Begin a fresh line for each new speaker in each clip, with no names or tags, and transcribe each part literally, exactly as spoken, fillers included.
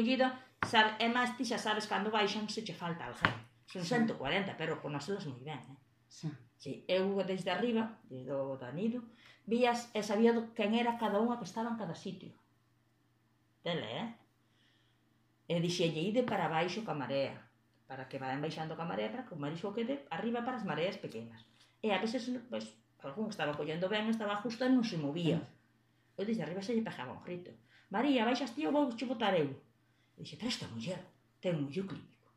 recollida, e máis ti xa sabes cando baixan se che falta alguén. Son cento e cuarenta, pero conócelas moi ben, eh? Si, eu desde arriba, desde o Danido, vías e sabía quen era cada unha que estaba en cada sitio. Tele, eh? E dixelle, ide para baixo ca marea, para que vayan baixando ca marea, para que o marisco quede arriba para as mareas pequenas. E a veces, pois, algún estaba collendo ben, estaba justo e non se movía. Eu desde arriba se lle pegaba un grito. María, baixas ti ou vou che botar eu? E dixe, pero esta muller ten un ollo clínico.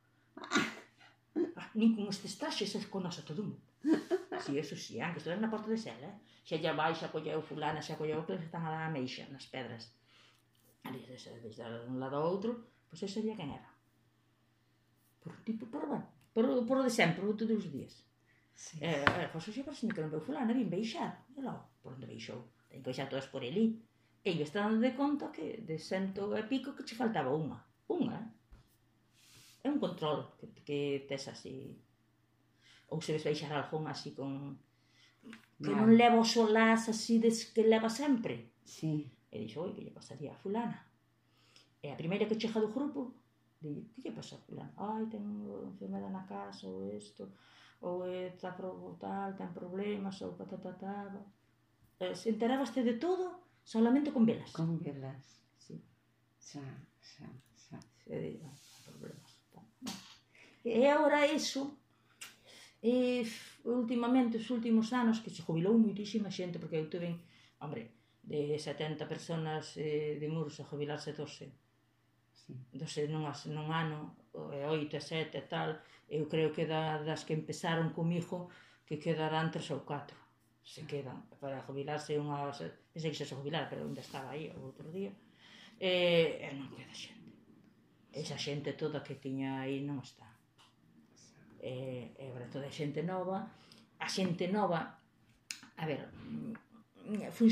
Nin con estes traxes se conoce todo o mundo. Si, eso si, que estuve na porta de Sela, eh? Xa lle baixa, colleu fulana, xa colleu que están a dar a meixa nas pedras. Ali, desde un lado ao outro, pois eu sabía quen era. Por un tipo, por bueno, por o de sempre, por todos os días. E, pois xa parece que non veu fulana, vin beixar. E logo, por onde beixou? Ten que beixar todas por elí. E eu estaba dando de conta que de cento e pico que che faltaba unha. Unha, eh? É un control que tes así. Ou se ves baixar algún así con... que non leva o solás así que leva sempre. E dixo, oi, que lle pasaría a fulana? E a primeira que chega do grupo, di, que lle pasa a fulana? Ai, ten enfermedade na casa, ou isto, ou está tal, ten problemas, ou patatatá... Se enterabaste de todo solamente con velas.
Con velas.
Si.
Xa, xa, xa.
Se diga, problemas. E agora iso... E últimamente, os últimos anos, que se jubilou moitísima xente, porque eu tuve, hombre, de setenta personas de Muros a jubilarse doce. doce nun ano, oito e sete e tal, eu creo que das que empezaron comigo, que quedarán tres ou catro. Se quedan, para jubilarse unha... Pensei que se se jubilar, pero ainda estaba aí o outro día. E non queda xente. Esa xente toda que tiña aí non está. E agora toda a xente nova, a xente nova, a ver, funciona